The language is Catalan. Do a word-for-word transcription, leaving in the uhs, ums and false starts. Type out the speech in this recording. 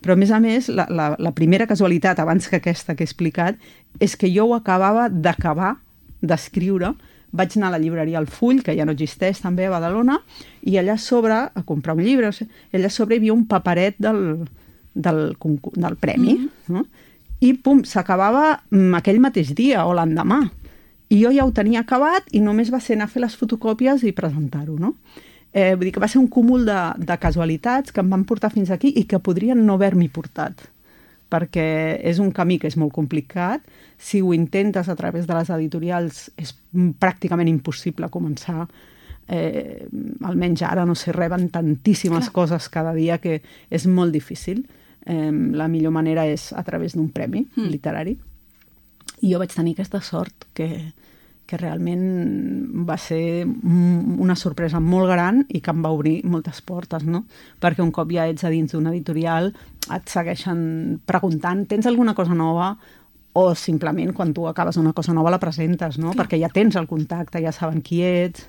Però, a més a més, la, la, la primera casualitat, abans que aquesta que he explicat, és que jo ho acabava d'acabar d'escriure. Vaig anar a la llibreria El Full, que ja no existeix també a Badalona, i allà a sobre, a comprar un llibre, i allà a sobre hi havia un paperet del, del, del premi, mm-hmm. no? I pum, s'acabava aquell mateix dia o l'endemà. I jo ja ho tenia acabat i només va ser anar a fer les fotocòpies i presentar-ho, no? Eh, vull dir que va ser un cúmul de, de casualitats que em van portar fins aquí i que podrien no haver-m'hi portat, perquè és un camí que és molt complicat. Si ho intentes a través de les editorials és pràcticament impossible començar. Eh, almenys ara, no sé, reben tantíssimes Clar. coses cada dia que és molt difícil. Eh, la millor manera és a través d'un premi mm. literari. I jo vaig tenir aquesta sort que... que realment va ser una sorpresa molt gran i que em va obrir moltes portes, no? Perquè un cop ja ets a dins d'una editorial et segueixen preguntant, tens alguna cosa nova? O simplement quan tu acabes una cosa nova la presentes, no? Clar. Perquè ja tens el contacte, ja saben qui ets.